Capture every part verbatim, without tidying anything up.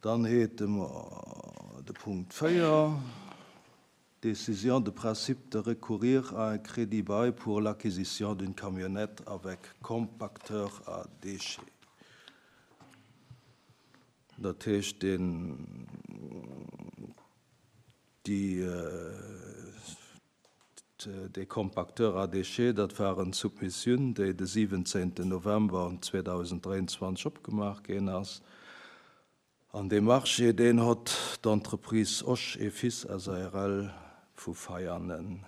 Dann hätte mer de Punkt véier, Décision de principe de recourir à un crédit-bail pour l'acquisition d'une camionnette avec compacteur à déchets. Dat heescht, deen, déi, dee Compacteur à déchets, dat war eng Submissioun, déi de siwwenzéngten November zweedausenddräianzwanzeg opgemaach ginn ass. An dee Marché, deen huet d'Entreprise Osch et Fils S A R L vu Veianen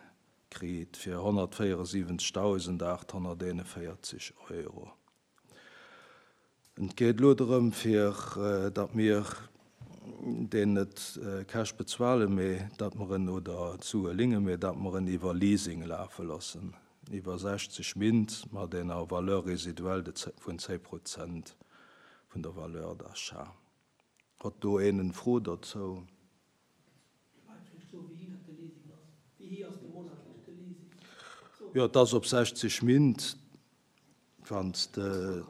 kritt fir honnertvéieresiwwenzegdausendaathonnerteenzevéierzeg Euro. Et geet elo drëm, fir datt mir deen net cash bezuelen, mee datt mer en oder d'Sue léinen, mee datt mer en iwwer Leasing lafe loossen, iwwer sechzeg Méint mat enger Valeur résiduelle vun zéng Prozent vun der Valeur d'achat. Huet do een eng Fro dozou? Wéi héich ass de monatlech de Leasing? Jo, dat ass op sechzeg Méint, wann s de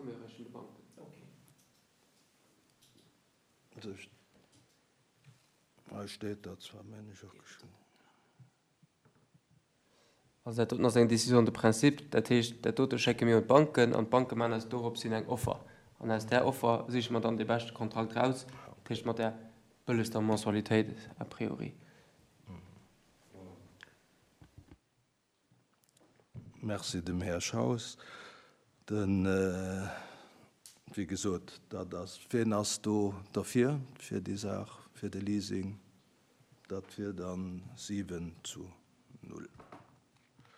Okay. Hei steet dat zwar, mengen ech, och geschriwwen. Also dat doten ass eng Décision de principe, dat heescht, dat dote schécke mir un d'Banken an d'Banke maachen eis dorops hin eng Offer. An aus där Offer siche mer dann dee beschte Kontrakt raus, dat heescht mat där bëllegster Mensualitéit a priori. Merci dem Här Schaus. Den, wéi gesot, dat ass, wien ass do derfir, fir déi Saach, fir de Leasing? Dat wier dann siwen zu null.